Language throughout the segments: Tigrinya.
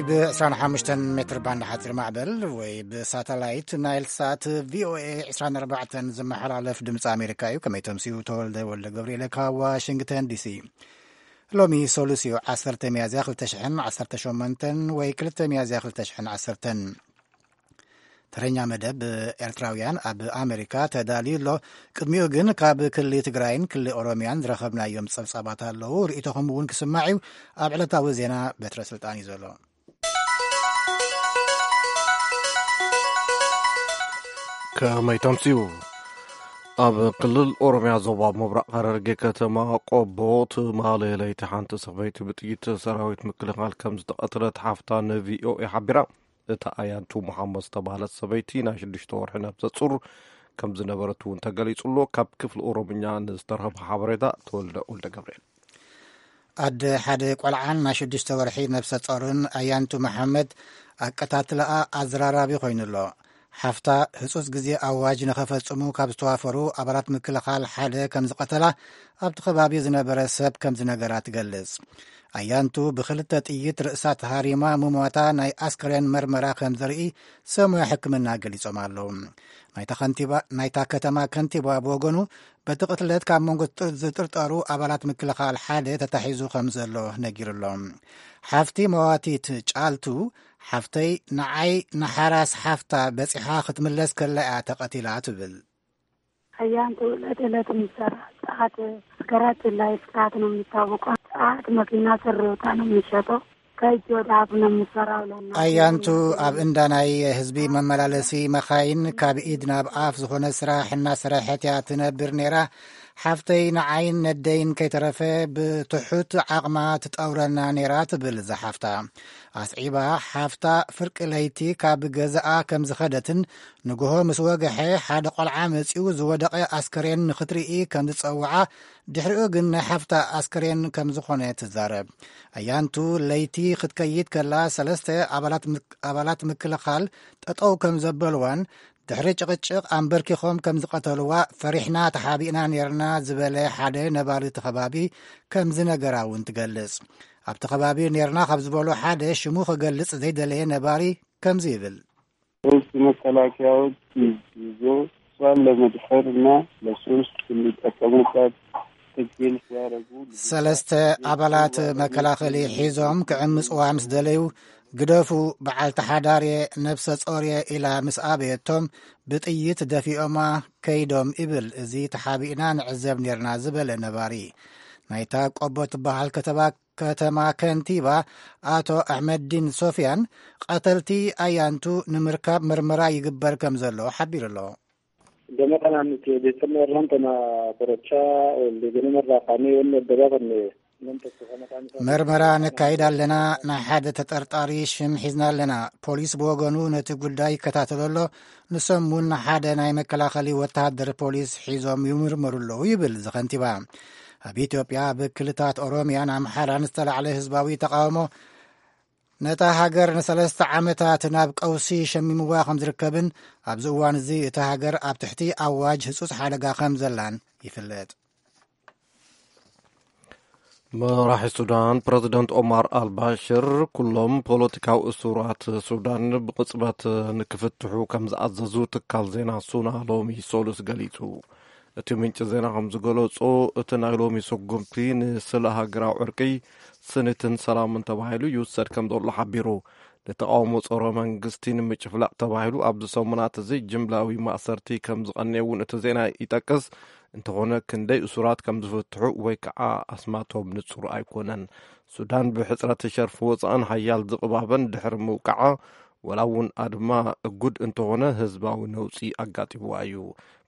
ብ25 ሜትር ባንድ ሓፂር ማዕበል ወይ ብሳተላይት ናይል ሳት ቪኦኤ 24 ዝመሓላለፍ ድምፂ ኣሜሪካ እዩ። ከመይ ተምስዩ? ተወልደ ወልደ ገብርኤል ካብ ዋሽንግተን ዲሲ። ሎሚ ሰሉስ እዩ፣ 10 ሚያዝያ 2018 ወይ 2 ሚያዝያ 2010። ተረኛ መደብ ኤርትራውያን ኣብ ኣሜሪካ ተዳልዩ ኣሎ። ቅድሚኡ ግን ካብ ክሊ ትግራይን ክሊ ኦሮሚያን ዝረኸብናዮም ጸብጻባት ኣለዉ። ርእይቶኹም እውን ክስማዕ እዩ። ኣብ ዕለታዊ ዜና በትረ ስልጣን እዩ ዘሎ። ከመይ ተምስዩ? ኣብ ክልል ኦሮሚያ ዞባ ምብራቕ ሐረርጌ ከተማ ቆቦ ትማሊ ለይቲ ሓንቲ ሰበይቲ ብጥይት ሰራዊት ምክልኻል ከም ዝተቐትለት ሓፍታ ንቪኦኤ ሓቢራ። እታ ኣያንቱ መሓመድ ዝተባህለት ሰበይቲ ናይ ሽዱሽተ ወርሒ ነብሰ ጹር ከም ዝነበረት እውን ተገሊጹ ኣሎ። ካብ ክፍሊ ኦሮምኛ ንዝተረኸበ ሓበሬታ ተወልደ ወልደ ገብርኤል። ኣደ ሓደ ቆልዓን ናይ ሽዱሽተ ወርሒ ነብሰ ጾርን ኣያንቱ መሓመድ ኣቀታትላኣ ኣዘራራቢ ኮይኑ ኣሎ። ሓፍታ ህጹጽ ግዜ ኣዋጅ ንኸፈጽሙ ካብ ዝተዋፈሩ ኣባላት ምክልኻል ሓደ ከም ዝቐተላ ኣብቲ ከባቢ ዝነበረ ሰብ ከም ዝነገራ ትገልጽ። ኣያንቱ ብኽልተ ጥይት ርእሳ ተሃሪማ ምሟታ ናይ ኣስከሬን መርመራ ከም ዘርኢ ሰሙያ ሕክምና ገሊጾም ኣለዉ። ናይታ ከንቲባ፣ ናይታ ከተማ ከንቲባ ብወገኑ በቲ ቅትለት ካብ መንጎ ዝጥር-፣ ዝጥርጠሩ ኣባላት ምክልኻል ሓደ ተታሒዙ ከም ዘሎ ነጊሩ ኣሎ። ሓፍቲ መዋቲት ጫልቱ፣ ሓፍተይ ንዓይ ንሓራስ ሓፍታ በጺሓ ክትምለስ ከላ እያ ተቐቲላ ትብል። ኣያንቱ ዕለት ዕለት ምሰራ ጸዓት ስከራት ላይ ጸዓት ነው የሚታወቀው። ጸዓት መኪና ስር ወጣ ነው የሚሸጠው። ከእጅ ወደ አፍ ነው የሚሰራው። ለእናቴ አያንቱ ኣብ እንዳ ናይ ህዝቢ መመላለሲ መኻይን ካብ ኢድ ናብ ኣፍ ዝኾነ ስራሕ እናሰረሐት እያ ትነብር ነይራ። ሓፍተይ ንዓይን ነደይን ከይተረፈ ብትሑት ዓቕማ ትጠውረና ነይራ ትብል እዛ ሓፍታ። ኣስዒባ ሓፍታ ፍርቂ ለይቲ ካብ ገዛኣ ከም ዝኸደትን ንግሆ ምስ ወግሐ ሓደ ቆልዓ መጺኡ ዝወደቐ ኣስከሬን ንኽትርኢ ከም ዝጸውዓ ድሕሪኡ ግን ናይ ሓፍታ ኣስከሬን ከም ዝኾነ ትዛረብ። ኣያንቱ ለይቲ ክትከይድ ከላ ሰለስተ ኣባላት ምክ-፣ ኣባላት ምክልኻል ጠጠው ከም ዘበልዋን ድሕሪ ጭቕጭቕ ኣንበርኪኾም ከም ዝቐተልዋ ፈሪሕና ተሓቢእና ኔርና ዝበለ ሓደ ነባሪ እቲ ከባቢ ከም ዝነገራ እውን ትገልጽ። ኣብቲ ከባቢ ኔርና ካብ ዝበሉ ሓደ ሽሙ ክገልጽ ዘይደለየ ነባሪ ከምዚ ይብል። ሶስት መከላከያዎች ይዞ እሷን ለመድፈር እና ለሶስት እንዲጠቀሙባት ትግል ሲያደርጉ ሰለስተ ኣባላት መከላኸሊ ሒዞም ክዕምጽዋ ምስ ደለዩ፣ "ግደፉ፣ በዓልቲ ሓዳር እየ፣ ነብሰ ጾር እየ" ኢላ ምስ ኣበየቶም፣ ብጥይት ደፊኦማ ከይዶም ይብል እዚ ተሓቢእና ንዕዘብ ኔርና ዝበለ ነባሪ። ናይታ ቆቦ ትበሃል ከተባ-፣ ከተማ ከንቲባ ኣቶ ኣሕመዲን ሶፍያን፣ ቀተልቲ ኣያንቱ ንምርካብ ምርመራ ይግበር ከም ዘሎ ሓቢሩ ኣሎ። Gama kanaan nuti odeeffannoo irraan tana qorachaa oolle. Ganama irraa kaanee wanni adda baafanne nam tokko kan maqaan isaa መርመራ ነካይድ ኣለና። ናይ ሓደ ተጠርጣሪ ሽም ሒዝና ኣለና። ፖሊስ ብወገኑ ነቲ ጉዳይ ይከታተሎ ኣሎ። ንሶም እውን ሓደ ናይ መከላኸሊ ወተሃደር ፖሊስ ሒዞም ይምርምሩ ኣለዉ ይብል እዚ ከንቲባ። ኣብ ኢትዮጵያ፣ ኣብ ክልታት ኦሮሚያን ኣምሓራን ዝተላዕለ ህዝባዊ ተቃውሞ ነታ ሃገር ንሰለስተ ዓመታት ናብ ቀውሲ ሸሚምዋ ከም ዝርከብን ኣብዚ እዋን እዚ እታ ሃገር ኣብ ትሕቲ ኣዋጅ ህጹጽ ሓደጋ ከም ዘላን ይፍለጥ። መራሒ ሱዳን ፕረዚደንት ኦማር ኣልባሽር ኩሎም ፖለቲካዊ እሱራት ሱዳን ብቕጽበት ንክፍትሑ ከም ዝኣዘዙ ትካል ዜና ሱና ሎሚ ሰሉስ ገሊጹ። እቲ ምንጪ ዜና ከም ዝገለጾ፣ እቲ ናይ ሎሚ ስጉምቲ ንስለ ሃገራዊ ዕርቂ፣ ስኒትን ሰላምን ተባሂሉ ይውሰድ ከም ዘሎ ሓቢሩ። ንተቓውሞ ጸረ መንግስቲ ንምጭፍላቕ ተባሂሉ ኣብዚ ሰሙናት እዚ ጅምላዊ ማእሰርቲ ከም ዝቐነየ እውን እቲ ዜና ይጠቅስ። እንተኾነ፣ ክንደይ እሱራት ከም ዝፍትሑ ወይ ከዓ ኣስማቶም ንጹር ኣይኮነን። ሱዳን ብሕጽረት ሸርፊ ወጻእን ሓያል ዝቕባበን ድሕሪ ምውቃዓ፣ ወላ እውን ኣድማ እጉድ እንተኾነ ህዝባዊ ነውጺ ኣጋጢምዋ እዩ።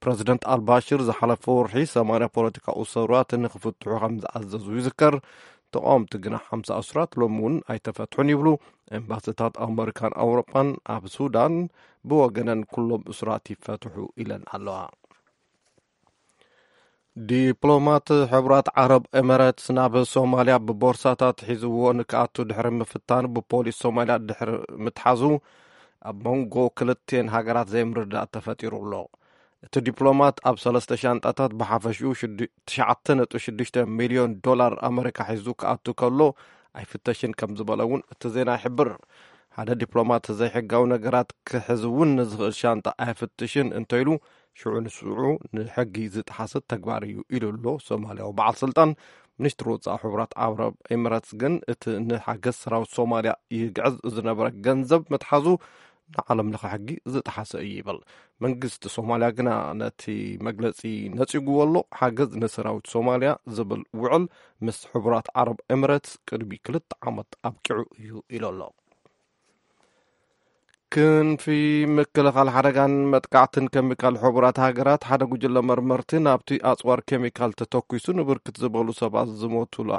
ፕረዚደንት ኣልባሽር ዝሓለፈ ወርሒ ሰማንያ ፖለቲካዊ እሱራት ንክፍትሑ ከም ዝኣዘዙ ይዝከር። ተቃወምቲ ግና ሓምሳ እሱራት ሎሚ እውን ኣይተፈትሑን ይብሉ። ኤምባሲታት ኣመሪካን ኣውሮጳን ኣብ ሱዳን ብወገነን ኩሎም እሱራት ይፈትሑ ኢለን ኣለዋ። ዲፕሎማት ሕቡራት ዓረብ ኤምሬትስ ናብ ሶማልያ ብቦርሳታት ሒዝዎ ንክኣቱ ድሕሪ ምፍታን ብፖሊስ ሶማልያ ድሕሪ ምትሓዙ ኣብ መንጎ ክልቴን ሃገራት ዘይምርዳእ ተፈጢሩ ኣሎ። እቲ ዲፕሎማት ኣብ ሰለስተ ሻንጣታት ብሓፈሽኡ ሽዱ-፣ ትሽዓተ ነጥቢ ሽዱሽተ ሚልዮን ዶላር ኣመሪካ ሒዙ ክኣቱ ከሎ ኣይፍተሽን ከም ዝበለ እውን እቲ ዜና ይሕብር። ሓደ ዲፕሎማት ዘይሕጋዊ ነገራት ክሕዝ እውን ንዝኽእል ሻንጣ ኣይፍትሽን እንተኢሉ፣ ሽዑ ንስዑ ንሕጊ ዝጠሓሰት ተግባር እዩ ኢሉ ኣሎ ሶማልያዊ በዓል ስልጣን። ሚኒስትሪ ወጻኢ ሕቡራት ዓረብ ኤምረትስ ግን እቲ ንሓገዝ ሰራዊት ሶማልያ ይግዕዝ ዝነበረ ገንዘብ ምትሓዙ ንዓለም ለኸ ሕጊ ዝጠሓሰ እዩ ይብል። መንግስቲ ሶማልያ ግና ነቲ መግለጺ ነጺጉዎ ኣሎ። ሓገዝ ንሰራዊት ሶማልያ ዝብል ውዕል ምስ ሕቡራት ዓረብ ኤምረትስ ቅድሚ ክልተ ዓመት ኣብቂዑ እዩ ኢሉ ኣሎ። ክንፊ ምክልኻል ሓደጋን መጥቃዕትን ኬሚካል ሕቡራት ሃገራት ሓደ ጉጅለ መርመርቲ ናብቲ ኣጽዋር ኬሚካል ተተኲሱ ንብርክት ዝበሉ ሰባት ዝሞቱላ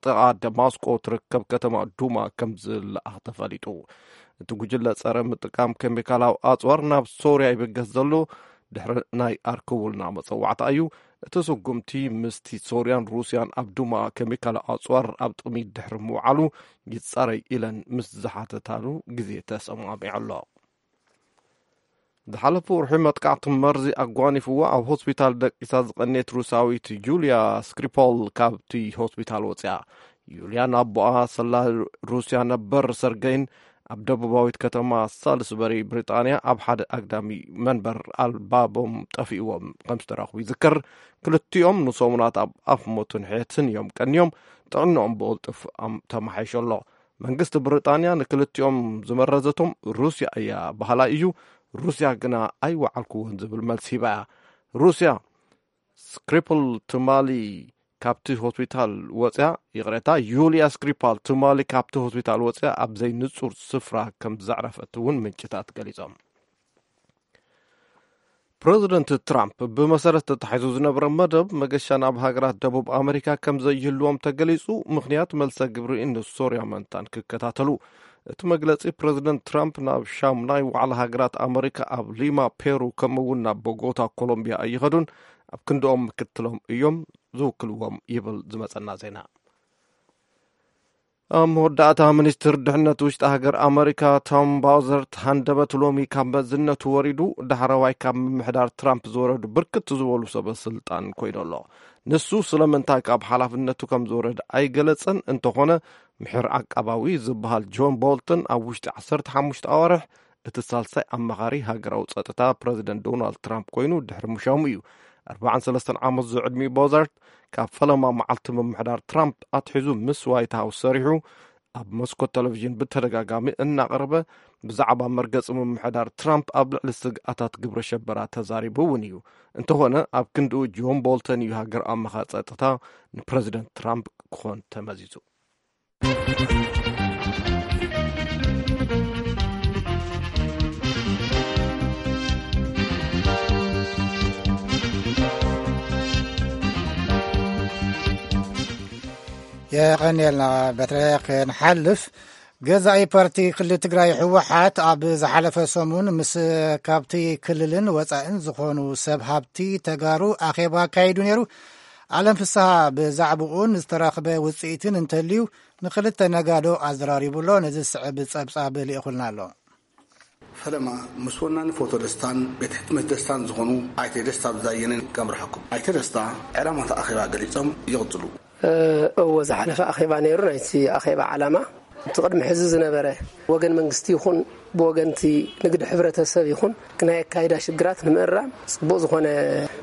ጥቓ ደማስቆ ትርከብ ከተማ ዱማ ከም ዝለኣኽ ተፈሊጡ። እቲ ጉጅለ ጸረ ምጥቃም ኬሚካላዊ ኣጽዋር ናብ ሶርያ ይብገስ ዘሎ ድሕሪ ናይ ኣርክቡልና መጸዋዕታ እዩ። እቲ ስጉምቲ ምስቲ ሶርያን ሩስያን ኣብ ዱማ ኬሚካላዊ ኣጽዋር ኣብ ጥቕሚ ድሕሪ ምውዓሉ ይጻረይ ኢለን ምስ ዝሓተታሉ ግዜ ተሰማሚዑ ኣሎ። ዝሓለፈ ወርሒ መጥቃዕቲ መርዚ ኣጓኒፍዋ ኣብ ሆስፒታል ደቂሳ ዝቐንየት ሩሳዊት ጁልያ ስክሪፖል ካብቲ ሆስፒታል ወፅያ። ዩልያን ኣቦኣ ሰላ ሩስያ ነበር ሰርገይን ኣብ ደቡባዊት ከተማ ሳልስበሪ ብሪጣንያ ኣብ ሓደ ኣግዳሚ መንበር ኣልባቦም ጠፊእዎም ከም ዝተረኽቡ ይዝከር። ክልቲኦም ንሰሙናት ኣብ ኣፍ ሞትን ሕየትን እዮም ቀንዮም። ጥዕንኦም ብቕልጡፍ ኣም- ተመሓይሾ ኣሎ። መንግስቲ ብሪጣንያ ንክልቲኦም ዝመረዘቶም ሩስያ እያ በሃላይ እዩ። ሩስያ ግና ኣይወዓልኩዎን ዝብል መልሲ ሂባ እያ። ሩስያ ስክሪፕል ትማሊ ካብቲ ሆስፒታል ወፅያ፣ ይቕሬታ፣ ዩልያ ስክሪፓል ትማሊ ካብቲ ሆስፒታል ወፅያ ኣብ ዘይንጹር ስፍራ ከም ዘዕረፈት እውን ምንጭታት ገሊጾም። ፕረዚደንት ትራምፕ ብመሰረት ተታሒዙ ዝነበረ መደብ መገሻ ናብ ሃገራት ደቡብ ኣመሪካ ከም ዘይህልዎም ተገሊጹ። ምኽንያት መልሰ ግብሪ ንሶርያ መንታን ክከታተሉ። እቲ መግለጺ ፕረዚደንት ትራምፕ ናብ ሻሙናይ ዋዕላ ሃገራት ኣመሪካ ኣብ ሊማ ፔሩ ከምኡ እውን ናብ ቦጎታ ኮሎምቢያ ኣይኸዱን። ኣብ ክንድኦም ምክትሎም እዮም ዝውክልዎም ይብል ዝመጸና ዜና። ኣብ መወዳእታ ሚኒስትር ድሕነት ውሽጢ ሃገር ኣመሪካ ቶም ባውዘርት ሃንደበት ሎሚ ካብ መዝነቱ ወሪዱ ዳሕረዋይ ካብ ምምሕዳር ትራምፕ ዝወረዱ ብርክት ዝበሉ ሰበ ስልጣን ኮይኑ ኣሎ። ንሱ ስለምንታይ ካብ ሓላፍነቱ ከም ዝወረደ ኣይገለጸን። እንተኾነ ምሕር ዓቃባዊ ዝበሃል ጆን ቦልተን ኣብ ውሽጢ ዓሰርተ ሓሙሽተ ኣዋርሕ እቲ ሳልሳይ ኣማኻሪ ሃገራዊ ጸጥታ ፕረዚደንት ዶናልድ ትራምፕ ኮይኑ ድሕሪ ምሻሙ እዩ። ኣርባዓን ሰለስተን ዓመት ዝዕድሚኡ ቦዛርት ካብ ፈለማ መዓልቲ ምምሕዳር ትራምፕ ኣትሒዙ ምስ ዋይት ሃውስ ሰሪሑ ኣብ መስኮት ቴሌቪዥን ብተደጋጋሚ እናቐረበ ብዛዕባ መርገጺ ምምሕዳር ትራምፕ ኣብ ልዕሊ ስግኣታት ግብረ ሸበራ ተዛሪቡ እውን እዩ። እንተኾነ ኣብ ክንድኡ ጆን ቦልተን እዩ ሃገር ኣማኻሪ ጸጥታ ንፕረዚደንት ትራምፕ ክኾን ተመዚዙ። የቐንየልና በትረ። ክንሓልፍ፣ ገዛኢ ፓርቲ ክልል ትግራይ ህወሓት ኣብ ዝሓለፈ ሰሙን ምስ ካብቲ ክልልን ወፃእን ዝኾኑ ሰብ ሃብቲ ተጋሩ ኣኼባ ኣካይዱ ነይሩ። ኣለም ፍስሃ ብዛዕባኡን ዝተረኽበ ውፅኢትን እንተልዩ ንክልተ ነጋዶ ኣዘራሪቡ ኣሎ። ነዚ ዝስዕብ ፀብፃብ ልኢኹልና ኣሎ። ፈለማ ምስ ወናኒ ፎቶ ደስታን ቤት ሕትመት ደስታን ዝኾኑ ኣይተ ደስታ ብዛየንን ከምርሐኩም። ኣይተ ደስታ ዕላማት ኣኼባ ገሊጾም ይቕጽሉ። እወ፣ ዝሓለፈ ኣኼባ ነይሩ። ናይቲ ኣኼባ ዓላማ እቲ ቅድሚ ሕዚ ዝነበረ ወገን መንግስቲ ይኹን ብወገንቲ ንግዲ ሕብረተሰብ ይኹን ናይ ኣካይዳ ሽግራት ንምእራም ጽቡቕ ዝኾነ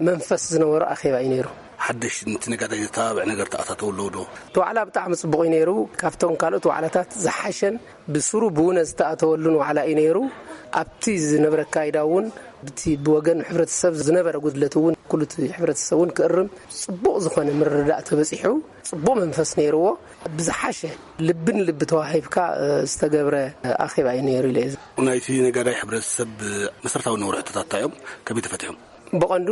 መንፈስ ዝነበሮ ኣኼባ እዩ ነይሩ። ሓድሽ ነቲ ነጋዳይ ዘተባብዕ ነገር ተኣታተው ኣለዉ ዶ? እቲ ዋዕላ ብጣዕሚ ጽቡቕ እዩ ነይሩ። ካብቶም ካልኦት ዋዕላታት ዝሓሸን ብስሩ ብውነ ዝተኣተወሉን ዋዕላ እዩ ነይሩ። ኣብቲ ዝነበረ ኣካይዳ እውን ብቲ ብወገን ሕብረተሰብ ዝነበረ ጉድለት እውን ኩሉ እቲ ሕብረተሰብ እውን ክእርም ጽቡቕ ዝኾነ ምርድዳእ ተበጺሑ ጽቡቕ መንፈስ ነይርዎ። ብዝሓሸ ልብን ልቢ ተዋሂብካ ዝተገብረ ኣኼባ እዩ ነይሩ ኢለ እየ። ናይቲ ነጋዳይ ሕብረተሰብ መሰረታዊ ዝነበሩ ሕቶታት እንታይ እዮም? ከመይ ተፈቲሖም? ብቐንዱ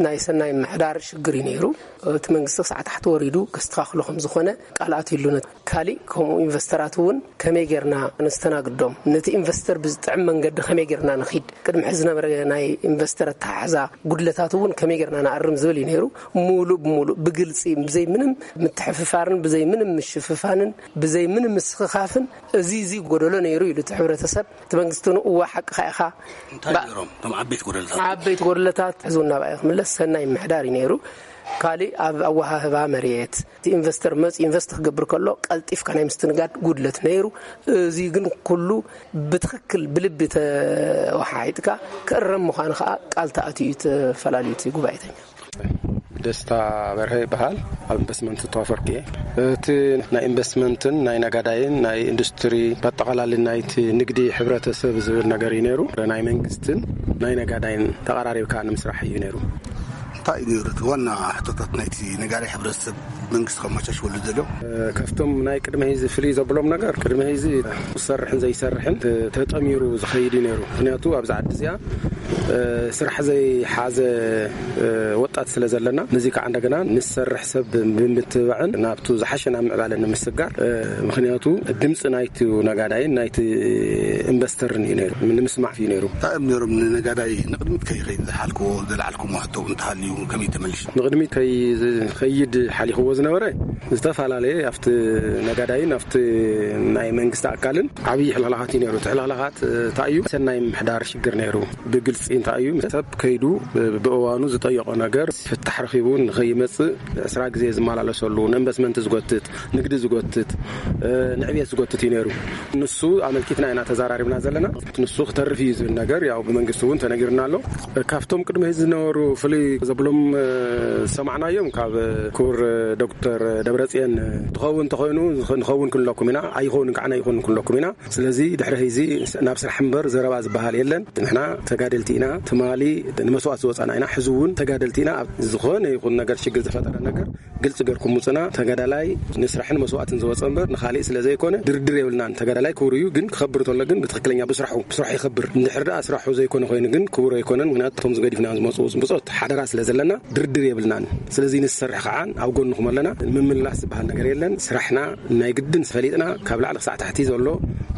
ናይ ሰናይ ምሕዳር ሽግር እዩ ነይሩ። እቲ መንግስቲ ክሳዕ ታሕቲ ወሪዱ ከስተኻኽሎ ከም ዝኾነ ቃል ኣትዩሉ። ካሊእ ከምኡ ኢንቨስተራት እውን ከመይ ጌርና ነስተናግዶም፣ ነቲ ኢንቨስተር ብዝጥዕም መንገዲ ከመይ ጌርና ንኺድ፣ ቅድሚ ሕዚ ዝነበረ ናይ ኢንቨስተር ኣተሓሕዛ ጉድለታት እውን ከመይ ጌርና ንኣርም ዝብል እዩ ነይሩ። ሙሉእ ብሙሉእ ብግልፂ ብዘይ ምንም ምትሕፍፋርን ብዘይ ምንም ምሽፍፋንን ብዘይ ምንም ምስኽኻፍን እዚ እዚ ጎደሎ ነይሩ ኢሉ እቲ ሕብረተሰብ እቲ መንግስቲ ንእዋ ሓቅኻ ኢኻ። እንታይ ነይሮም እቶም ዓበይቲ ጎደለታት? ዓበይቲ ጎደለታት ሕዚ እውን ናብኣ ክምለስ ሰናይ ምሕዳር እዩ ነይሩ። ካልእ ኣብ ኣወሃህባ መሬት እቲ ኢንቨስተር መፂ ኢንቨስት ክገብር ከሎ ቀልጢፍካ ናይ ምስትንጋድ ጉድለት ነይሩ። እዚ ግን ኩሉ ብትኽክል ብልቢ ተወሓሒጥካ ክእረም ምዃኑ ከዓ ቃል ተኣትዩ እዩ ተፈላለዩ እቲ ጉባኤተኛ። ደስታ በርሀ ይበሃል። ኣብ ኢንቨስትመንት ተዋፈርኩ እየ። እቲ ናይ ኢንቨስትመንትን ናይ ነጋዳይን ናይ ኢንዱስትሪ በጠቓላሊ ናይቲ ንግዲ ሕብረተሰብ ዝብል ነገር እዩ ነይሩ። ናይ መንግስትን ናይ ነጋዳይን ተቐራሪብካ ንምስራሕ እዩ ነይሩ። እንታይ እዩ ነይሩ እቲ ዋና ሕቶታት ናይቲ ነጋዳይ ሕብረተሰብ መንግስቲ ከመቻችወሉ ዘሎ? ካብቶም ናይ ቅድመ ህይዚ ፍልይ ዘብሎም ነገር ቅድመ ህይዚ ዝሰርሕን ዘይሰርሕን ተጠሚሩ ዝኸይድ እዩ ነይሩ። ምክንያቱ ኣብዚ ዓዲ እዚኣ ስራሕ ዘይሓዘ ወጣት ስለ ዘለና፣ ነዚ ከዓ እንደገና ንሰርሕ ሰብ ብምትብባዕን ናብቱ ዝሓሸ ናብ ምዕባለ ንምስጋር፣ ምክንያቱ ድምፂ ናይቲ ነጋዳይን ናይቲ ኢንቨስተርን እዩ ነይሩ፣ ንምስማዕ እዩ ነይሩ። እንታይ እዮም ነይሮም ንነጋዳይ ንቅድሚት ከይኸይድ ዝሓልክዎ፣ ዘልዓልኩሞ ሕቶ እውን እንተሃልዩ ከመይ ተመልሽ? ንቅድሚት ከይኸይድ ሓሊኽዎ ዝነበረ ዝተፈላለየ ኣብቲ ነጋዳይን ኣብቲ ናይ መንግስቲ ኣካልን ዓብዪ ሕልኽላኻት እዩ ነይሩ። እቲ ሕልኽላኻት እንታይ እዩ? ሰናይ ምሕዳር ሽግር ነይሩ። ብግልፂ እንታይ እዩ? ሰብ ከይዱ ብእዋኑ ዝጠየቆ ነገር ፍታሕ ረኺቡ ንኸይመፅእ ዕስራ ግዜ ዝመላለሰሉ፣ ንኢንቨስትመንት ዝጎትት፣ ንግዲ ዝጎትት፣ ንዕብየት ዝጎትት እዩ ነይሩ። ንሱ ኣመልኪትና ኢና ተዘራሪብና ዘለና። ንሱ ክተርፍ እዩ ዝብል ነገር ያው ብመንግስቲ እውን ተነጊርና ኣሎ። ካብቶም ቅድሚ ህዚ ዝነበሩ ፍሉይ ዘብሎም ዝሰማዕናዮም ካብ ክቡር ዶክተር ደብረፅየን ትኸውን እንተኾይኑ ንኸውን ክንለኩም ኢና፣ ኣይኸውን ከዓ ኣይኸውን ክንለኩም ኢና። ስለዚ ድሕሪ ህዚ ናብ ስራሕ እምበር ዘረባ ዝበሃል የለን። ንሕና ተጋደልቲ ኢና፣ ትማሊ ንመስዋእት ዝወፃና ኢና፣ ሕዚ እውን ተጋደልቲ ኢና። ኣብ ዝኾነ ይኹን ነገር ሽግር ዝፈጠረ ነገር ግልፂ ገርኩም ውፅና። ተጋዳላይ ንስራሕን መስዋእትን ዝወፀ እምበር ንኻሊእ ስለ ዘይኮነ ድርድር የብልናን። ተጋዳላይ ክቡር እዩ፣ ግን ክኸብር ተሎ ግን ብትኽክለኛ ብስራሑ ብስራሕ ይኸብር። እንድሕር ደኣ ስራሑ ዘይኮነ ኮይኑ ግን ክቡር ኣይኮነን። ምክንያቱ እቶም ዝገዲፍና ዝመፁ ብፆት ሓደራ ስለ ዘለና ድርድር የብልናን። ስለዚ ንሰርሕ ከዓ ኣብ ጎንኹም ኣለና። ምምላስ ዝበሃል ነገር የለን። ስራሕና ናይ ግድን ፈሊጥና ካብ ላዕሊ ክሳዕ ታሕቲ ዘሎ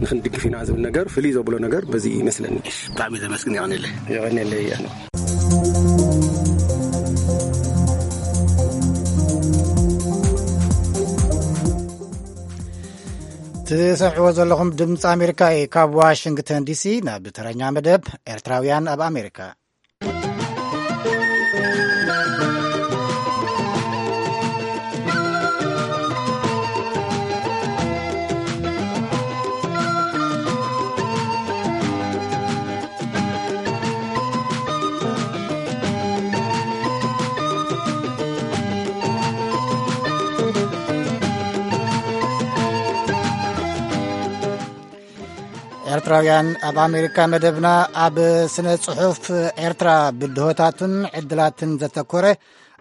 ንክንድግፍ ኢና ዝብል ነገር ፍልይ ዘብሎ ነገር በዚ ይመስለኒ። ብጣዕሚ ዘመስግን። የቐኔለይ። የቐኔለይ። ትሰምዕዎ ዘለኹም ድምፂ ኣሜሪካ እዩ። ካብ ዋሽንግተን ዲሲ ናብ ተረኛ መደብ ኤርትራውያን ኣብ ኣሜሪካ። ኤርትራውያን ኣብ ኣሜሪካ መደብና ኣብ ስነ ጽሑፍ ኤርትራ ብድሆታቱን ዕድላትን ዘተኮረ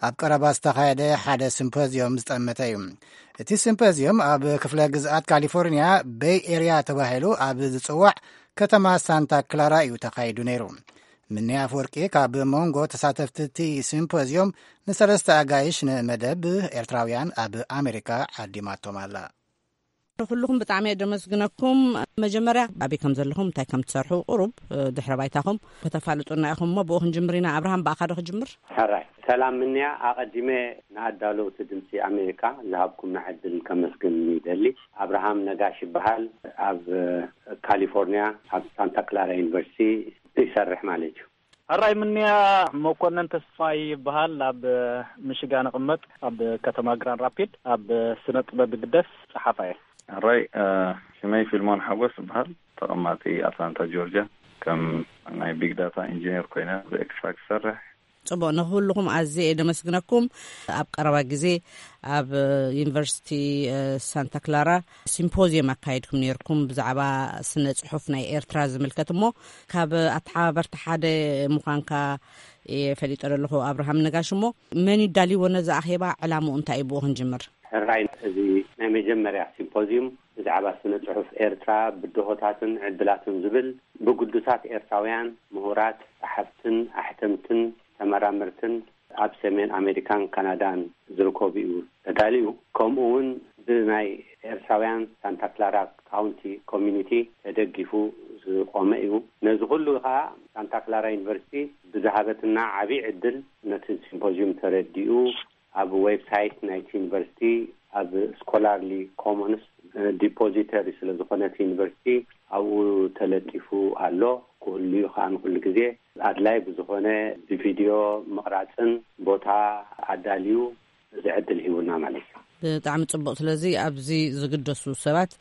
ኣብ ቀረባ ዝተኻየደ ሓደ ሲምፖዝዮም ዝጠመተ እዩ። እቲ ሲምፖዝዮም ኣብ ክፍለ ግዝኣት ካሊፎርኒያ ቤይ ኤርያ ተባሂሉ ኣብ ዝጽዋዕ ከተማ ሳንታ ክላራ እዩ ተኻይዱ ነይሩ። ምኒ ኣፈወርቂ ካብ መንጎ ተሳተፍቲ እቲ ሲምፖዝዮም ንሰለስተ ኣጋይሽ ንመደብ ኤርትራውያን ኣብ ኣሜሪካ ዓዲማቶም ኣላ። ንኩልኹም ብጣዕሚ እየ ደመስግነኩም። መጀመርያ ኣበይ ከም ዘለኹም፣ እንታይ ከም ትሰርሑ፣ ቁሩብ፣ እ፣ ድሕረ ባይታኹም ከተፋልጡና ኢኹም እሞ ብኡ ክንጅምር ኢና። ኣብርሃም፣ ብኣኻ ዶ ክጅምር? ሕራይ። ሰላም ምንያ፣ ኣቐዲመ ንኣዳለውቲ ድምፂ ኣሜሪካ ዝሃብኩምና ዕድል ከመስግን ይደሊ። ኣብርሃም ነጋሽ ይበሃል። ኣብ፣ እ፣ ካሊፎርኒያ ኣብ ሳንታ ክላራ ዩኒቨርሲቲ ይሰርሕ ማለት እዩ። ሕራይ ምንያ፣ መኮነን ተስፋይ ይበሃል። ኣብ ሚሽጋን እቕመጥ፣ ኣብ ከተማ ግራንድ ራፒድ፣ ኣብ ስነ ጥበብ ይግደስ ጸሓፋይ። ሕራይ፣ እ፣ ሽመይ ፊልሞን ሓጎስ ይበሃል። ተቐማጢ ኣትላንታ ጆርጅያ። ከም ናይ ቢግ ዳታ ኢንጂነር ኮይነ ኣብ ኤክስትራክት ይሰርሕ። ጽቡቕ፣ ንኹልኹም ኣዝየ እየ ደመስግነኩም። ኣብ ቀረባ ግዜ ኣብ ዩኒቨርሲቲ፣ እ፣ ሳንታ ክላራ ሲምፖዚየም ኣካይድኩም ነይርኩም ብዛዕባ ስነ ጽሑፍ ናይ ኤርትራ ዝምልከት እሞ፣ ካብ ኣተሓባበርቲ ሓደ ምዃንካ እየ ፈሊጠ ዘለኹ ኣብርሃም ነጋሽ። እሞ መን እዩ ዳልይዎ ነዚ ኣኼባ? ዕላምኡ እንታይ እዩ? ብኡ ክንጅምር። ሕራይ፣ እዚ ናይ መጀመርያ ሲምፖዚዩም ብዛዕባ ስነ ጽሑፍ ኤርትራ ብድሆታትን ዕድላትን ዝብል ብግዱሳት ኤርትራውያን ምሁራት፣ ጸሓፍትን ኣሕተምትን፣ ተመራመርትን ኣብ ሰሜን ኣሜሪካን ካናዳን ዝርከቡ እዩ ተዳልዩ። ከምኡ እውን ብናይ ኤርትራውያን ሳንታ ክላራ ካውንቲ ኮሚኒቲ ተደጊፉ ዝቆመ እዩ። ነዚ ኩሉ ከዓ ሳንታ ክላራ ዩኒቨርሲቲ ብዝሃበትና ዓብዪ ዕድል ነቲ ሲምፖዚዩም ተረዲኡ ኣብ ዌብሳይት ናይቲ ዩኒቨርሲቲ ኣብ ስኮላርሊ ኮሞንስ ዲፖዚተሪ ስለ ዝኾነ እቲ ዩኒቨርሲቲ ኣብኡ ተለጢፉ ኣሎ። ክህሉ እዩ። ከኣ ንኩሉ ግዜ ኣድላይ ብዝኾነ ብቪድዮ ምቕራጽን ቦታ ኣዳልዩ እዚ ዕድል ሂቡና ማለት እዩ። ብጣዕሚ ጽቡቕ። ስለዚ ኣብዚ ዝግደሱ ሰባት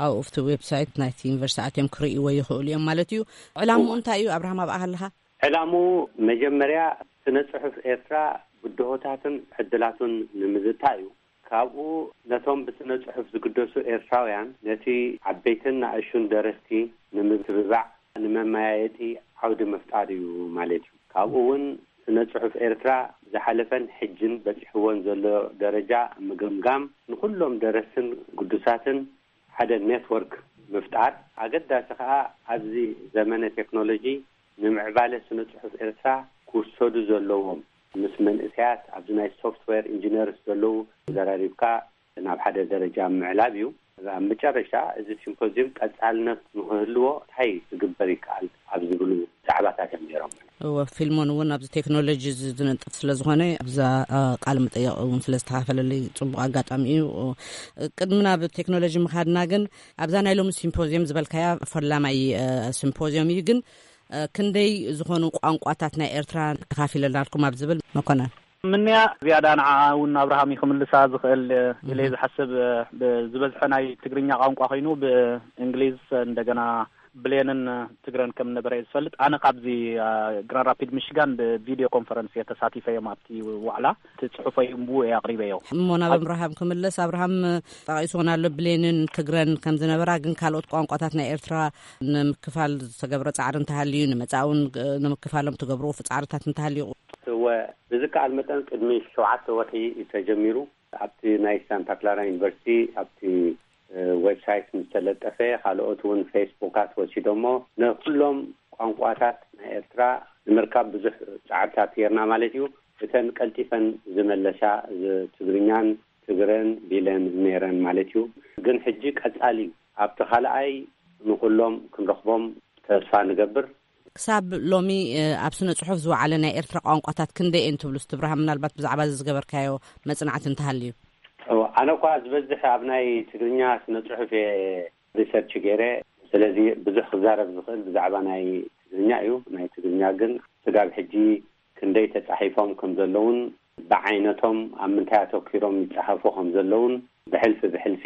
ኣብኡ ኣብቲ ዌብሳይት ናይቲ ዩኒቨርሲቲ ኣትዮም ክርእይዎ ይኽእሉ እዮም ማለት እዩ። ዕላምኡ እንታይ እዩ? ኣብርሃም፣ ኣብኣ ከለኻ? ዕላምኡ መጀመርያ ስነ ጽሑፍ ኤርትራ ብድሆታትን ዕድላቱን ንምዝታይ እዩ። ካብኡ ነቶም ብስነ ጽሑፍ ዝግደሱ ኤርትራውያን ነቲ ዓበይትን ንኣሽቱን ደረስቲ ንምትብባዕ፣ ንመመያየጢ ዓውዲ ምፍጣር እዩ ማለት እዩ። ካብኡ እውን ስነ ጽሑፍ ኤርትራ ዝሓለፈን ሕጅን በጺሕዎን ዘሎ ደረጃ ምግምጋም፣ ንኹሎም ደረስትን ግዱሳትን ሓደ ኔትወርክ ምፍጣር፣ ኣገዳሲ ከኣ ኣብዚ ዘመነ ቴክኖሎጂ ንምዕባለ ስነ ጽሑፍ ኤርትራ ክውሰዱ ዘለዎም፣ ምስ መንእሰያት ኣብዚ ናይ ሶፍትዌር ኢንጂነርስ ዘለዉ ዘራሪብካ ናብ ሓደ ደረጃ ምዕላብ እዩ። ኣብ መጨረሻ እዚ ሲምፖዚየም ቀጻልነት ንክህልዎ እንታይ ክግበር ይከኣል ኣብ ዝብሉ ዛዕባታት እዮም ነይሮም። እወ፣ ፊልሞን እውን ኣብዚ ቴክኖሎጂ ዝ-፣ ዝነጥፍ ስለ ዝኾነ ኣብዛ፣ አ፣ ቃለ መጠየቕ እውን ስለ ዝተኻፈለለይ ጽቡቕ ኣጋጣሚ እዩ። ቅድሚ ናብ ቴክኖሎጂ ምኻድና ግን ኣብዛ ናይ ሎሚ ሲምፖዚየም ዝበልካያ ፈላማይ፣ አ፣ ሲምፖዚየም እዩ። ግን፣ አ፣ ክንደይ ዝኾኑ ቋንቋታት ናይ ኤርትራ ተኻፊለናልኩም ኣብ ዝብል መኮነን? ምንያ ዝያዳ ንዓ እውን ኣብርሃም እዩ ክምልሳ ዝኽእል ኢለ እየ ዝሓስብ። ብ-፣ ዝበዝሐ ናይ ትግርኛ ቋንቋ ኮይኑ ብእንግሊዝ እንደገና ብሌንን ትግረን ከም ነበረ እየ ዝፈልጥ። ኣነ ካብዚ፣ አ፣ ግራንድ ራፒድ ሚሽጋን ብቪድዮ ኮንፈረንስ እየ ተሳቲፈ እዮም ኣብቲ ዋዕላ። እቲ ጽሑፈይ እምብኡ እየ ኣቕሪበዮ። እሞ ናብ ኣብርሃም ክምለስ፣ ኣብርሃም ጠቒስዎን ኣሎ ብሌንን ትግረን ከም ዝነበራ፣ ግን ካልኦት ቋንቋታት ናይ ኤርትራ ንምክፋል ዝተገብረ ጻዕሪ እንተሃልዩ፣ ንመጻእውን ንምክፋሎም ትገብርዎ ጻዕርታት እንተሃልዩ? እወ፣ ብዝከኣል መጠን ቅድሚ ሸውዓተ ወርሒ እዩ ተጀሚሩ። ኣብቲ ናይ ሳንታ ክላራ ዩኒቨርሲቲ ኣብቲ፣ እ፣ ዌብሳይት ምስ ተለጠፈ፣ ካልኦት እውን ፌስቡካት ወሲዶሞ፣ ንኩሎም ቋንቋታት ናይ ኤርትራ ንምርካብ ብዙሕ ጻዕርታት ጌርና ማለት እዩ። እተን ቀልጢፈን ዝመለሳ ዝ-፣ ትግርኛን ትግረን ቢለን ነይረን ማለት እዩ። ግን ሕጂ ቀጻሊ ኣብቲ ካልኣይ ንኩሎም ክንረኽቦም ተስፋ ንገብር። ክሳብ ሎሚ፣ እ፣ ኣብ ስነ ጽሑፍ ዝወዓለ ናይ ኤርትራ ቋንቋታት ክንደይ እየን ትብሉ? ትብርሃም፣ ምናልባት ብዛዕባ እዚ ዝገበርካዮ መጽናዕቲ እንተሃልዩ? እወ፣ ኣነ እኳ ዝበዝሕ ኣብ ናይ ትግርኛ ስነ ጽሑፍ እየ ሪሰርች ገይረ። ስለዚ ብዙሕ ክዛረብ ዝኽእል ብዛዕባ ናይ ትግርኛ እዩ። ናይ ትግርኛ ግን ስጋብ ሕጂ ክንደይ ተጻሒፎም ከም ዘለውን ብዓይነቶም ኣብ ምንታይ ኣተኪሮም ይጸሓፉ ከም ዘለውን ብሕልፊ ብሕልፊ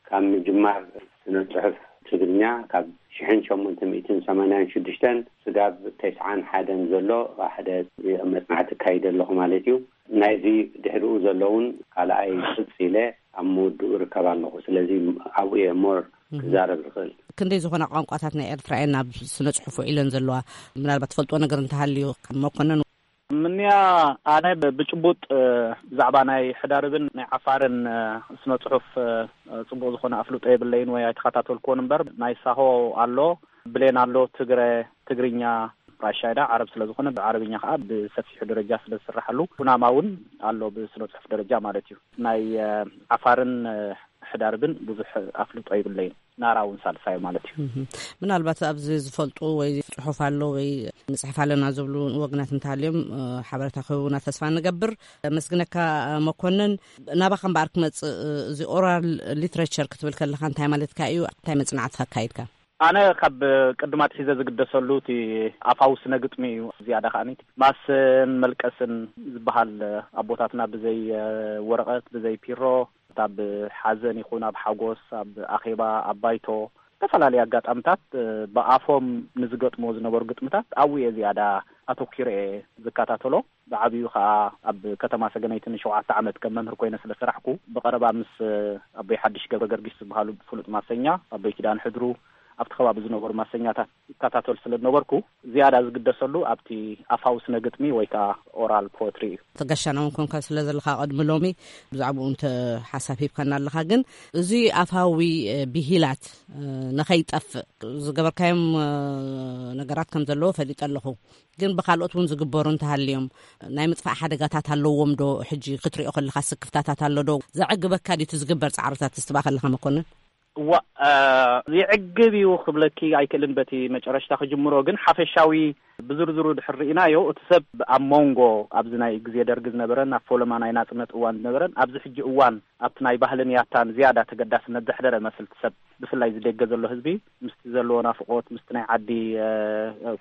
ካብ ምጅማር ስነ ጽሑፍ ትግርኛ ካብ ሽሕን ሸሞንተ ሚእትን ሰማንያን ሽዱሽተን ስጋብ ተስዓን ሓደን ዘሎ ሓደ መጽናዕቲ ኣካይደ ኣለኹ ማለት እዩ። ናይዚ ድሕሪኡ ዘለውን ካልኣይ ቅጽ ኢለ ኣብ ምውድኡ እርከብ ኣለኹ። ስለዚ ኣብኡ እየ ሞር እህ። ክዛረብ ዝኽእል። ክንደይ ዝኾና ቋንቋታት ናይ ኤርትራ እየን ኣብ ስነ ጽሑፍ ውዒለን ዘለዋ? ምናልባት ትፈልጥዎ ነገር እንተሃልዩ፣ ካብ መኮነን። ምንያ፣ ኣነ ብ-፣ ብጭቡጥ፣ እ፣ ብዛዕባ ናይ ሕዳርብን ናይ ዓፋርን፣ እ፣ ስነ ጽሑፍ፣ እ፣ ጽቡቕ ዝኾነ ኣፍልጦ የብለይን ወይ ኣይተኸታተልኩዎን እምበር፣ ናይ ሳሆ ኣሎ፣ ብሌን ኣሎ፣ ትግረ፣ ትግርኛ፣ ራሻይዳ ዓረብ ስለ ዝኾነ፣ ብዓረብኛ ከኣ ብሰፊሑ ደረጃ ስለ ዝስራሓሉ፣ ኩናማ እውን ኣሎ ብስነ ጽሑፍ ደረጃ ማለት እዩ። ናይ፣ እ፣ ዓፋርን፣ እ፣ ሕዳርብን ብዙሕ ኣፍልጦ የብለይን። ናራ እውን ሳልሳዩ ማለት እዩ። እህ። ምናልባት ኣብዚ ዝፈልጡ ወይ ጽሑፍ ኣሎ ወይ ንጽሕፍ ኣለና ዝብሉ ወገናት እንተሃልዮም፣ እ፣ ሓበሬታ ክህቡና ተስፋ ንገብር። መስግነካ፣ እ፣ መኮንን። ናባኻ እምበኣር ክመጽእ፣ እ፣ እዚ ኦራል ሊትሬቸር ክትብል ከለኻ እንታይ ማለትካ እዩ? እንታይ መጽናዕቲ ኣካይድካ? ኣነ ካብ ቅድም ኣትሒዘ ዝግደሰሉ እቲ ኣፋዊ ስነ ግጥሚ እዩ። ዝያዳ ከኣ ማስን መልቀስን ዝበሃል ኣቦታትና ብዘይ፣ እ፣ ወረቐት፣ ብዘይ ፒሮ፣ ኣብ ሓዘን ይኹን ኣብ ሓጎስ፣ ኣብ ኣኼባ፣ ኣብ ባይቶ፣ ዝተፈላለዩ ኣጋጣምታት፣ እ፣ ብኣፎም ንዝገጥምዎ ዝነበሩ ግጥምታት ኣብኡ እየ ዝያዳ ኣተኪረ እየ ዝከታተሎ። ብዓብዩ ከኣ ኣብ ከተማ ሰገነይቲ ንሸውዓተ ዓመት ከም መምህር ኮይነ ስለ ሰራሕኩ፣ ብቐረባ ምስ፣ እ፣ ኣቦይ ሓድሽ ገብረ ገርጊስ ዝበሃሉ ፍሉጥ ማሰኛ፣ ኣቦይ ኪዳን ሕድሩ፣ ኣብቲ ከባቢ ዝነበሩ ማሰኛታት ይከታተል ስለ ዝነበርኩ፣ ዝያዳ ዝግደሰሉ ኣብቲ ኣፋዊ ስነ ግጥሚ ወይ ከኣ ኦራል ፖትሪ እዩ። ተጋሻና እውን ኮንካ ስለ ዘለኻ ቅድሚ ሎሚ ብዛዕባኡ እንተ ሓሳብ ሂብካና ኣለኻ። ግን እዚ ኣፋዊ፣ እ፣ ብሂላት፣ እ፣ ንኸይጠፍእ ዝገበርካዮም፣ እ፣ ነገራት ከም ዘለዎ ፈሊጠ ኣለኹ። ግን ብኻልኦት እውን ዝግበሩ እንተሃልዮም ናይ ምጥፋእ ሓደጋታት ኣለዎም ዶ? ሕጂ ክትሪኦ ከለኻ ስክፍታታት ኣሎ ዶ? ዘዕግበካ ድዩ እቲ ዝግበር ጻዕርታት? እስትባ ከለኻ መኮንን? እዋ፣ እ፣ ይዕግብ እዩ ክብለኪ ኣይክእልን በቲ መጨረሽታ ክጅምሮ፣ ግን ሓፈሻዊ ብዝርዝሩ ድሕር ርኢናዮ፣ እቲ ሰብ ኣብ መንጎ ኣብዚ ናይ ግዜ ደርጊ ዝነበረን ኣብ ፈለማ ናይ ናጽነት እዋን ዝነበረን ኣብዚ ሕጂ እዋን ኣብቲ ናይ ባህልን ያታን ዝያዳ ተገዳስነት ዘሕደረ መስል እቲ ሰብ፣ ብፍላይ ዝደገ ዘሎ ህዝቢ ምስቲ ዘለዎ ናፍቆት ምስቲ ናይ ዓዲ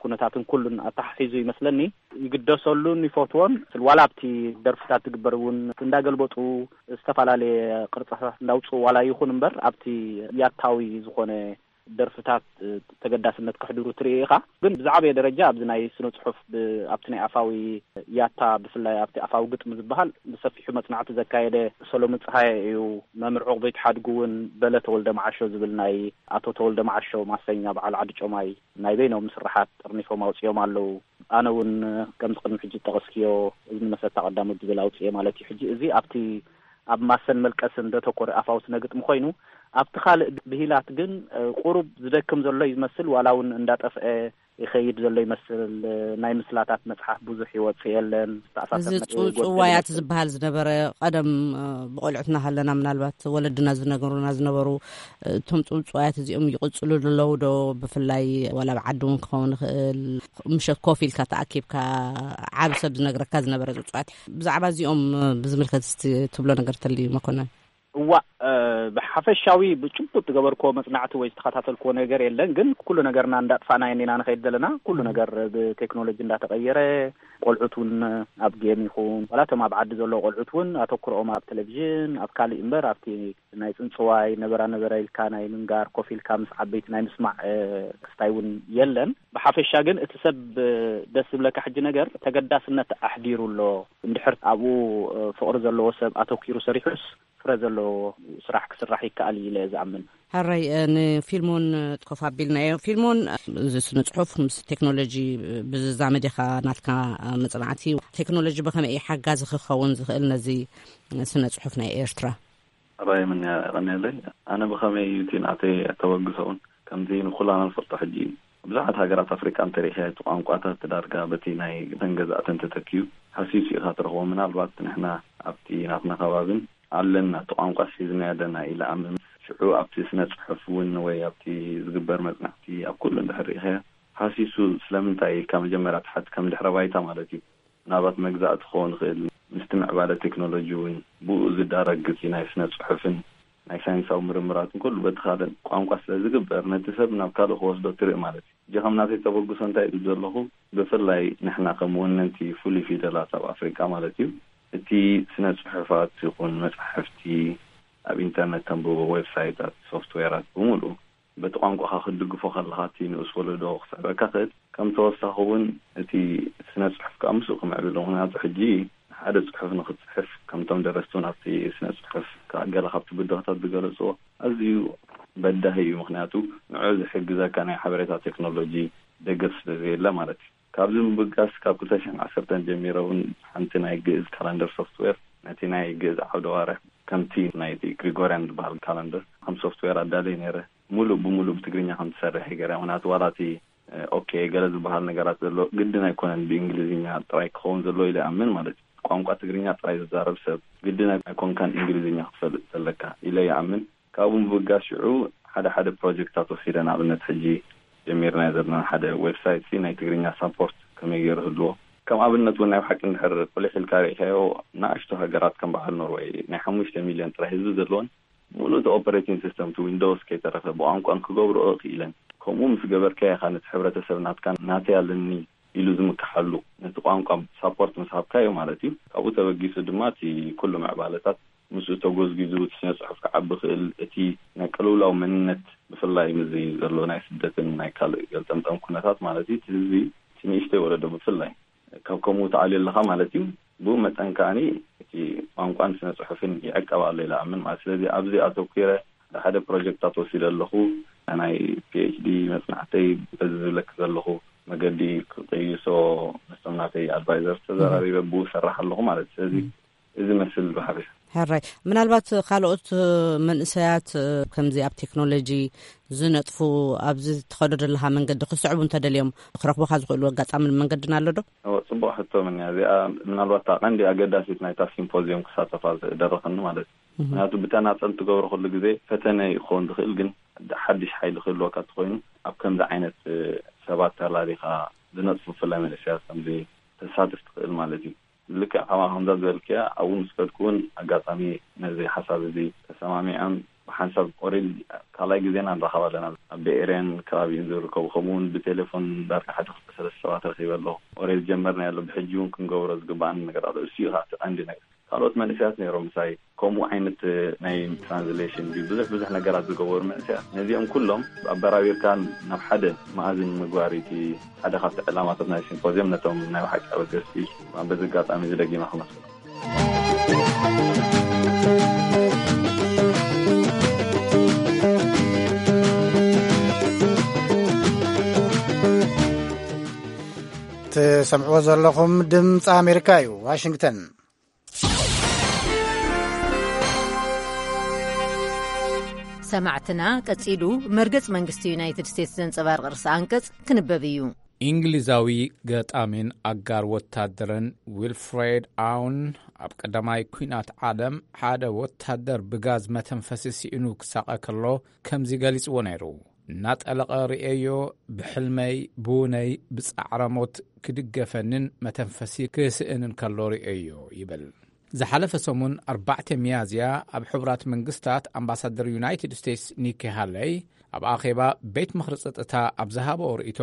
ኩነታትን ኩሉን ኣተሓሒዙ ይመስለኒ ይግደሰሉን ይፈትዎን። ዋላ ኣብቲ ደርፍታት ዝግበር እውን እንዳገልበጡ ዝተፈላለየ ቅርጻታት እንዳውፅኡ ዋላ ይኹን እምበር ኣብቲ ያታዊ ዝኾነ ደርፍታት ተገዳስነት ከሕድሩ ትርኢ ኢኻ። ግን ብዛዕበየ ደረጃ ኣብዚ ናይ ስነ ጽሑፍ ኣብቲ ናይ ኣፋዊ ያታ ብፍላይ ኣብቲ ኣፋዊ ግጥሚ ዝበሃል ብሰፊሑ መጽናዕቲ ዘካየደ ሰሎሙን ጸሃየ እዩ። መምህር ዕቑበይ ትሓድጉ እውን በለ ተወልደ መዓሾ ዝብል ናይ ኣቶ ተወልደ መዓሾ ማሰኛ በዓል ዓዲ ጮማይ ናይ በይኖም ስርሓት ጠርኒፎም ኣውፅኦም ኣለዉ። ኣነ እውን ከምዚ ቅድሚ ሕጂ ዝጠቐስክዮ እዝኒ መሰታ ቀዳሞት ዝብል ኣውፅኤ ማለት እዩ። ሕጂ እዚ ኣብቲ ኣብ ማሰን መልቀስን ዘተኮረ ኣፋዊ ስነ ግጥሚ ኮይኑ ኣብቲ ካልእ ብሂላት ግን ቁሩብ ዝደክም ዘሎ እዩ ዝመስል። ዋላ እውን እንዳጠፍአ ይኸይድ ዘሎ ይመስል። ናይ ምስላታት መጽሓፍ ብዙሕ ይወጽእ የለን። ዝተኣሳሰር እዚ መ- ጽውጽው ጎደል ዋያት ይመስል። ዝበሃል ዝነበረ ቀደም ብቆልዑትና ሃለና ምናልባት ወለድና ዝነገሩና ዝነበሩ እቶም ጽውጽዋያት እዚኦም ይቕጽሉ ኣለዉ ዶ? ብፍላይ ዋላ ኣብ ዓዲ እውን ክኸውን ይኽእል፣ ምሸት ኮፍ ኢልካ ተኣኪብካ ዓብ ሰብ ዝነግረካ ዝነበረ ጽውጽዋያት፣ ብዛዕባ እዚኦም ብዝምልከት እስቲ ትብሎ ነገር ተልዩ መኮነን? እዋእ፣ ብሓፈሻዊ ብጭቡጥ ዝገበርክዎ መጽናዕቲ ወይ ዝተኸታተልክዎ ነገር የለን። ግን ኩሉ ነገርና እንዳጥፋና ኢና ንኸይድ ዘለና። ኩሉ ነገር ብቴክኖሎጂ እንዳተቐየረ፣ ቆልዑት እውን ኣብ ጌም ይኹን ዋላ እቶም ኣብ ዓዲ ዘለዉ ቆልዑት እውን ኣተኩሮኦም ኣብ ቴሌቪዥን ኣብ ካልእ እምበር ኣብቲ ናይ ጽንጽዋይ ነበራ ነበረ ኢልካ ናይ ምንጋር ኮፍ ኢልካ ምስ ዓበይቲ ናይ ምስማዕ ክስታይ እውን የለን። ብሓፈሻ ግን እቲ ሰብ ደስ ዝብለካ ሕጂ ነገር ተገዳስነት ኣሕዲሩ ኣሎ። እንድሕር ኣብኡ ፍቕሪ ዘለዎ ሰብ ኣተኪሩ ሰሪሑስ ፍረ ዘለዎ ስራሕ ክስራሕ ይከኣል እዩ ኢለ ዝኣምን። ሕራይ ንፊልሞን ኮፍ ኣቢልናዮ። ፊልሞን፣ እዚ ስነ ጽሑፍ ምስ ቴክኖሎጂ ብዝዛመድ ኢኻ ናትካ መጽናዕቲ። ቴክኖሎጂ ብኸመይ እዩ ሓጋዚ ክኸውን ዝኽእል ነዚ ስነ ጽሑፍ ናይ ኤርትራ? ሕራይ ምንያ የቐንየለይ። ኣነ ብኸመይ እዩ እቲ ናተይ ኣተበግሶ እውን ከምዚ ንኩላና ንፈልጦ ሕጂ ብዙሓት ሃገራት ኣፍሪቃ እንተሪእኻ እቲ ቋንቋታት ዳርጋ በቲ ናይ ተንገዛእተን ተተኪዩ ሃሲሱ ኢኻ ትረኽቦ። ምናልባት ንሕና ኣብቲ ናትና ከባብን ኣለና እቲ ቋንቋ ሒዝና ኣለና ኢለ ኣምን። ሽዑ ኣብቲ ስነ ጽሑፍ እውን ወይ ኣብቲ ዝግበር መጽናዕቲ ኣብ ኩሉ እንድሕር ርኢኻዮ ሃሲሱ ስለምንታይ ኢልካ መጀመርያ ትሓት ከም ድሕረ ባይታ ማለት እዩ። ናባት መግዛእቲ ክኸውን ይኽእል። ምስቲ ምዕባለ ቴክኖሎጂ እውን ብኡ ዝዳረግ ግፂ ናይ ስነ ጽሑፍን ናይ ሳይንሳዊ ምርምራትን ኩሉ በቲ ካልእ ቋንቋ ስለ ዝግበር ነቲ ሰብ ናብ ካልእ ክወስዶ ትርኢ ማለት እዩ። እጂ ከም ናተይ ተበግሶ እንታይ ኢሉ ዘለኹ ብፍላይ ንሕና ከም ወነንቲ ፍሉይ ፊደላት ኣብ ኣፍሪቃ ማለት እዩ እቲ ስነ ጽሑፋት ይኹን መጻሕፍቲ ኣብ ኢንተርነት ተንብቦ ዌብሳይታት ሶፍትዌራት ብምሉእ በቲ ቋንቋኻ ክትድግፎ ከለኻ እቲ ንኡስ ወለዶ ክስዕበካ ክእል ከም ተወሳኺ እውን እቲ ስነ ጽሑፍ ከዓ ምስኡ ክምዕብል ምክንያቱ ሕጂ ሓደ ጽሑፍ ንክትጽሕፍ ከምቶም ደረስቲ እውን ኣብቲ ስነ ጽሑፍ ከዓ ገለ ካብቲ ብድሆታት ዝገለፅዎ ኣዝዩ በዳሂ እዩ። ምክንያቱ ንዑ ዝሕግዘካ ናይ ሓበሬታ ቴክኖሎጂ ደገፍ ስለ ዘየለ ማለት እዩ። ካብዚ ምብጋስ ካብ ክልተ ሽሕን ዓሰርተን ጀሚረ እውን ሓንቲ ናይ ግእዝ ካላንደር ሶፍትዌር ነቲ ናይ ግእዝ ዓውደ ዋርሕ ከምቲ ናይቲ ግሪጎርያን ዝበሃል ካላንደር ከም ሶፍትዌር ኣዳለየ ነይረ። ሙሉእ ብሙሉእ ብትግርኛ ከም ትሰርሕ ይገርያ ምክንያቱ ዋላ እቲ ኦኬ ገለ ዝበሃል ነገራት ዘሎ ግድን ኣይኮነን ብእንግሊዝኛ ጥራይ ክኸውን ዘለዎ ኢለ ይኣምን ማለት እዩ። ቋንቋ ትግርኛ ጥራይ ዝዛረብ ሰብ ግድን ኣይኮንካን እንግሊዝኛ ክትፈልጥ ዘለካ ኢለ ይኣምን። ካብኡ ምብጋስ ሽዑ ሓደ ሓደ ፕሮጀክታት ወሲደ ንኣብነት ሕጂ ጀሚርናዮ ዘለና ሓደ ዌብሳይት ሲ ናይ ትግርኛ ሳፖርት ከመይ ገይሩ ህልዎ ከም ኣብነት እውን ናይ ብሓቂ እንድሕር ቁሊሕ ኢልካ ርኢኻዮ ንኣሽቱ ሃገራት ከም በዓል ኖርወይ ናይ ሓሙሽተ ሚልዮን ጥራይ ህዝቢ ዘለዎን ሙሉእ እቲ ኦፐሬቲንግ ሲስተም እቲ ዊንዶውስ ከይተረፈ ብቋንቋን ክገብርኦ ክኢለን ከምኡ ምስ ገበርካዮ ኢኻ ነቲ ሕብረተሰብ ናትካ ናተይ ኣለኒ ኢሉ ዝምክሓሉ ነቲ ቋንቋ ሳፖርት ምስ ሃብካዮ ማለት እዩ። ካብኡ ተበጊሱ ድማ እቲ ኩሉ ምዕባለታት ምስኡ ተጎዝጊዙ እቲ ስነ ጽሑፍ ክዓቢ ክእል እቲ ናይ ቅልውላው መንነት ብፍላይ ምስዚ ዘሎ ናይ ስደትን ናይ ካልእ ገልጠምጠም ኩነታት ማለት እዩ እቲ ህዝቢ እቲ ንእሽተይ ወለዶ ብፍላይ ካብ ከምኡ ተኣልዮ ኣለኻ ማለት እዩ። ብኡ መጠን ከኣኒ እቲ ቋንቋን ስነ ጽሑፍን ይዕቀብ ኣሎ ኢለ ኣምን ማለት ስለዚ ኣብዚ ኣተኩረ ሓደ ሓደ ፕሮጀክታት ወሲደ ኣለኹ። ናይ ፒኤችዲ መጽናዕተይ በዚ ዝብለክ ዘለኹ መገዲ ክቅይሶ ምስቶም ናተይ ኣድቫይዘር ተዘራሪበ ብኡ ሰራሕ ኣለኹ ማለት እዩ። ስለዚ እዚ መስል ብሓፈሻ ሕራይ ምናልባት ካልኦት መንእሰያት ከምዚ ኣብ ቴክኖሎጂ ዝነጥፉ ኣብዚ ትኸዶ ዘለኻ መንገዲ ክስዕቡ እንተደልዮም ክረኽቡኻ ዝኽእሉ ኣጋጣምን መንገድን ኣሎ ዶ? እወ፣ ጽቡቕ ሕቶ ምንያ እዚኣ ምናልባት እታ ቀንዲ ኣገዳሲት ናይታ ሲምፖዚየም ክሳተፋ ዝደረኸኒ ማለት እዩ። ምክንያቱ ብተናጸል ትገብሮ ኩሉ ግዜ ፈተነ ክኸውን ዝኽእል ግን ሓድሽ ሓይሊ ክህልወካ እንተኾይኑ ኣብ ከምዚ ዓይነት ሰባት ተላሊኻ ዝነጥፉ ብፍላይ መንእሰያት ከምዚ ተሳትፍ ትኽእል ማለት እዩ። ልክዕ ከማ ከምዛ ዝበልክያ ኣብኡ ምስ ከድኩ እውን ኣጋጣሚ ነዚ ሓሳብ እዚ ተሰማሚዖም ብሓንሳብ ኦሬል ካልኣይ ግዜና ንራኸብ ኣለና። ኣብ ቤኤርያን ከባቢኡን ዝርከቡ ከምኡ እውን ብቴሌፎን ዳርጋ ሓደ ክልተ ሰለስተ ሰባት ረኺበ ኣለኹ። ኦሬል ጀመርና ያለ ብሕጂ እውን ክንገብሮ ዝግባኣን ነገር ኣሎ። እሱ እዩ ከዓ እቲ ቀንዲ ነገር። ካልኦት መንእሰያት ነይሮም ምሳይ ከምኡ ዓይነት ናይ ትራንስሌሽን ብዙሕ ብዙሕ ነገራት ዝገበሩ መንእሰያት ነዚኦም ኩሎም ኣበራቢርካ ናብ ሓደ መኣዝን ምግባር እቲ ሓደ ካብቲ ዕላማታት ናይ ሲምፖዚየም ነቶም ናይ ብሓቂ ኣበገስቲ በዚ ኣጋጣሚ እዚ ደጊመ ክመስሎ። ትሰምዕዎ ዘለኹም ድምፂ ኣሜሪካ እዩ። ዋሽንግተን። ሰማዕትና፣ ቀጺሉ መርገጽ መንግስቲ ዩናይትድ ስቴትስ ዘንጸባርቕ ርእሰ ኣንቀጽ ክንበብ እዩ። እንግሊዛዊ ገጣሚን ኣጋር ወታደርን ዊልፍሬድ ኣውን ኣብ ቀዳማይ ኲናት ዓለም ሓደ ወታደር ብጋዝ መተንፈሲ ስኢኑ ክሳቐ ከሎ ከምዚ ገሊጽዎ ነይሩ። እናጠለቐ ርእየዮ፣ ብሕልመይ ብውነይ ብጻዕረ ሞት ክድገፈንን መተንፈሲ ክስእንን ከሎ ርእየዮ ይብል። ዝሓለፈ ሰሙን ኣርባዕተ ሚያዝያ ኣብ ሕቡራት መንግስታት ኣምባሳደር ዩናይትድ ስቴትስ ኒኪ ሃለይ ኣብ ኣኼባ ቤት ምኽሪ ጸጥታ ኣብ ዝሃበኦ ርእይቶ፣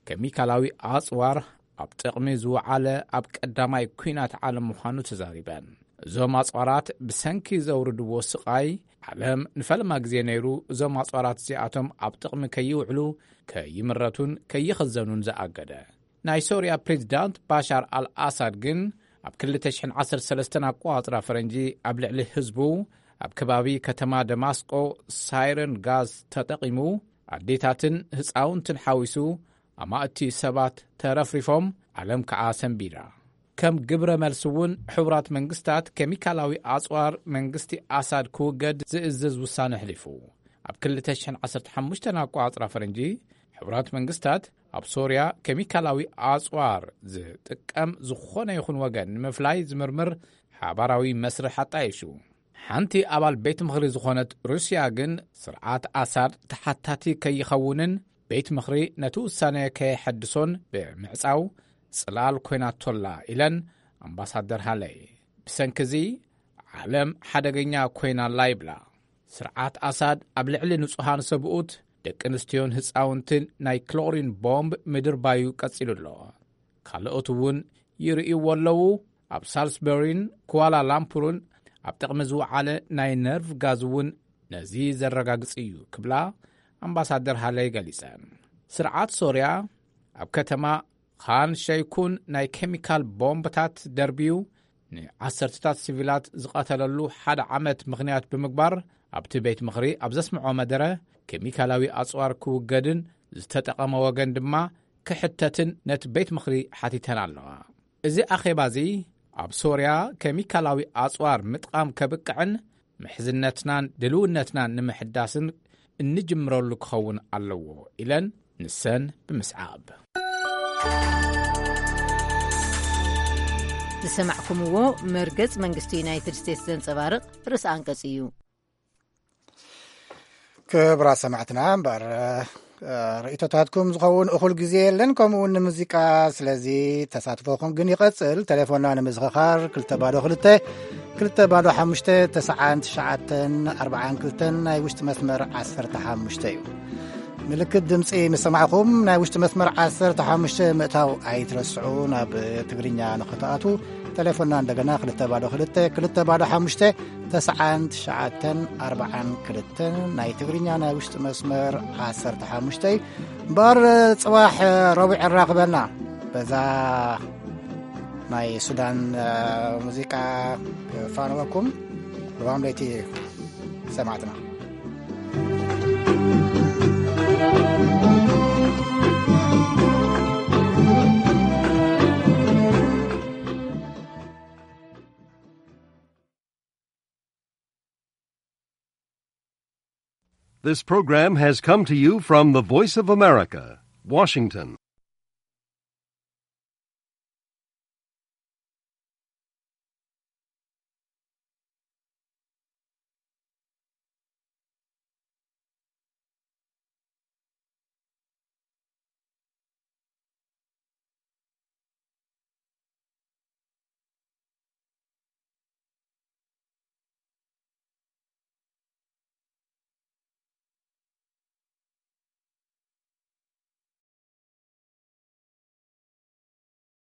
ኬሚካላዊ ኣጽዋር ኣብ ጥቕሚ ዝወዓለ ኣብ ቀዳማይ ኲናት ዓለም ምዃኑ ተዛሪበን። እዞም ኣጽዋራት ብሰንኪ ዘውርድዎ ስቓይ ዓለም ንፈለማ ግዜ ነይሩ እዞም ኣጽዋራት እዚኣቶም ኣብ ጥቕሚ ከይውዕሉ ከይምረቱን ከይኽዘኑን ዝኣገደ። ናይ ሶርያ ፕሬዚዳንት ባሻር ኣልኣሳድ ግን ኣብ ክልተ ሽሕን ዓሰርተ ሰለስተን ኣቆጻጽራ ፈረንጂ ኣብ ልዕሊ ህዝቡ ኣብ ከባቢ ከተማ ደማስቆ ሳይረን ጋዝ ተጠቒሙ ኣዴታትን ህፃውንትን ሓዊሱ ኣማእቲ ሰባት ተረፍሪፎም፣ ዓለም ከዓ ሰንቢዳ። ከም ግብረ መልሲ እውን ሕቡራት መንግስታት ኬሚካላዊ ኣፅዋር መንግስቲ ኣሳድ ክውገድ ዝእዝዝ ውሳነ ኣሕሊፉ። ኣብ ክልተ ሽሕን ዓሰርተ ሓሙሽተን ኣቆፃፅራ ፈረንጂ ሕቡራት መንግስታት ኣብ ሶርያ ኬሚካላዊ ኣፅዋር ዝጥቀም ዝኾነ ይኹን ወገን ንምፍላይ ዝምርምር ሓባራዊ መስርሕ ኣጣይሹ። ሓንቲ ኣባል ቤት ምኽሪ ዝኾነት ሩስያ ግን ስርዓት ኣሳድ ተሓታቲ ከይኸውንን ቤት ምኽሪ ነቲ ውሳነ ከየሐድሶን ብምዕጻው ጽላል ኮይናቶላ ኢለን ኣምባሳደር ሃለይ። ብሰንኪ እዚ ዓለም ሓደገኛ ኮይናላ ይብላ። ስርዓት ኣሳድ ኣብ ልዕሊ ንጹሃን ሰብኡት፣ ደቂ ኣንስትዮን ህጻውንትን ናይ ክሎሪን ቦምብ ምድርባዩ ቀጺሉ ኣሎ። ካልኦት እውን ይርእይዎ ኣለዉ። ኣብ ሳልስበሪን ኩዋላ ላምፑርን ኣብ ጥቕሚ ዝወዓለ ናይ ነርቭ ጋዝ እውን ነዚ ዘረጋግጽ እዩ ክብላ ኣምባሳደር ሃለይ ገሊጸን። ስርዓት ሶርያ ኣብ ከተማ ኻን ሸይኩን ናይ ኬሚካል ቦምብታት ደርብዩ ንዓሰርተታት ሲቪላት ዝቐተለሉ ሓደ ዓመት ምኽንያት ብምግባር ኣብቲ ቤት ምኽሪ ኣብ ዘስምዖ መደረ ኬሚካላዊ ኣጽዋር ክውገድን ዝተጠቐመ ወገን ድማ ክሕተትን ነቲ ቤት ምኽሪ ሓቲተን ኣለዋ። እዚ ኣኼባ እዚ ኣብ ሶርያ ኬሚካላዊ ኣጽዋር ምጥቓም ከብቅዕን ምሕዝነትናን ድልውነትናን ንምሕዳስን እንጅምረሉ ክኸውን ኣለዎ ኢለን ንሰን ብምስዓብ። ዝሰማዕኩምዎ መርገጽ መንግስቲ ዩናይትድ ስቴትስ ዘንጸባርቕ ርእሲ ኣንቀጽ እዩ። ክብራት ሰማዕትና እምበር ርእቶታትኩም ዝኸውን እኹል ግዜ የለን፣ ከምኡ እውን ንሙዚቃ። ስለዚ ተሳትፎኹም ግን ይቐጽል። ቴሌፎንና ንምዝኽኻር ክልተ ባዶ ክልተ ክልተ ባዶ ሓሙሽተ ተስዓን ትሽዓተን ኣርባዓን ክልተን ናይ ውሽጢ መስመር ዓሰርተ ሓሙሽተ እዩ። ምልክት ድምፂ ምስ ሰማዕኹም ናይ ውሽጢ መስመር ዓሰርተ ሓሙሽተ ምእታው ኣይትረስዑ። ናብ ትግርኛ ንኽትኣትዉ ቴሌፎንና እንደገና ክልተ ባዶ ክልተ ክልተ ባዶ ሓሙሽተ ተስዓን ትሽዓተን ኣርባዓን ክልተን ናይ ትግርኛ ናይ ውሽጢ መስመር ዓሰርተ ሓሙሽተ እዩ። እምበኣር ጽባሕ ረቡዕ የራኽበና። በዛ ናይ ሱዳን ሙዚቃ ፋንወኩም። ርባም ለይቲ ሰማዕትና። This program has come to you from the Voice of America, Washington.